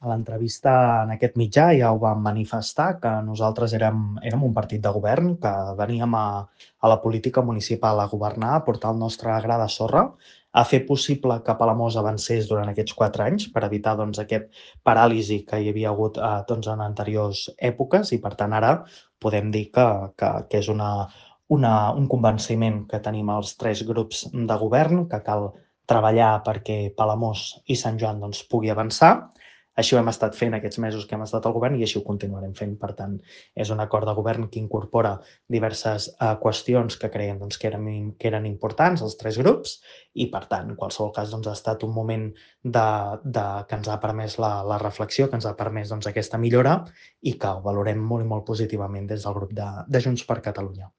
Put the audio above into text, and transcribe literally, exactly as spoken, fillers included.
A l'entrevista en aquest mitjà ja ho vam manifestar, que nosaltres érem érem un partit de govern, que veníem a a la política municipal a governar, a portar el nostre gra de sorra, a fer possible que Palamós avancés durant aquests quatre anys per evitar, doncs, aquest paràlisi que hi havia hagut, eh, doncs, en anteriors èpoques i, per tant, ara podem dir que que que és una una un convenciment que tenim els tres grups de govern, que cal treballar perquè Palamós i Sant Joan, doncs, pugui avançar. Així ho hem estat fent aquests mesos que hem estat al govern i així ho continuarem fent. Per tant, és un acord de govern que incorpora diverses, eh, qüestions que creiem, doncs, que eren im que eren importants als tres grups i, per tant, en qualsevol cas, doncs, ha estat un moment de de que ens ha permès la la reflexió, que ens ha permès, doncs, aquesta millora i que ho valorem molt i molt positivament des del grup de de Junts per Catalunya.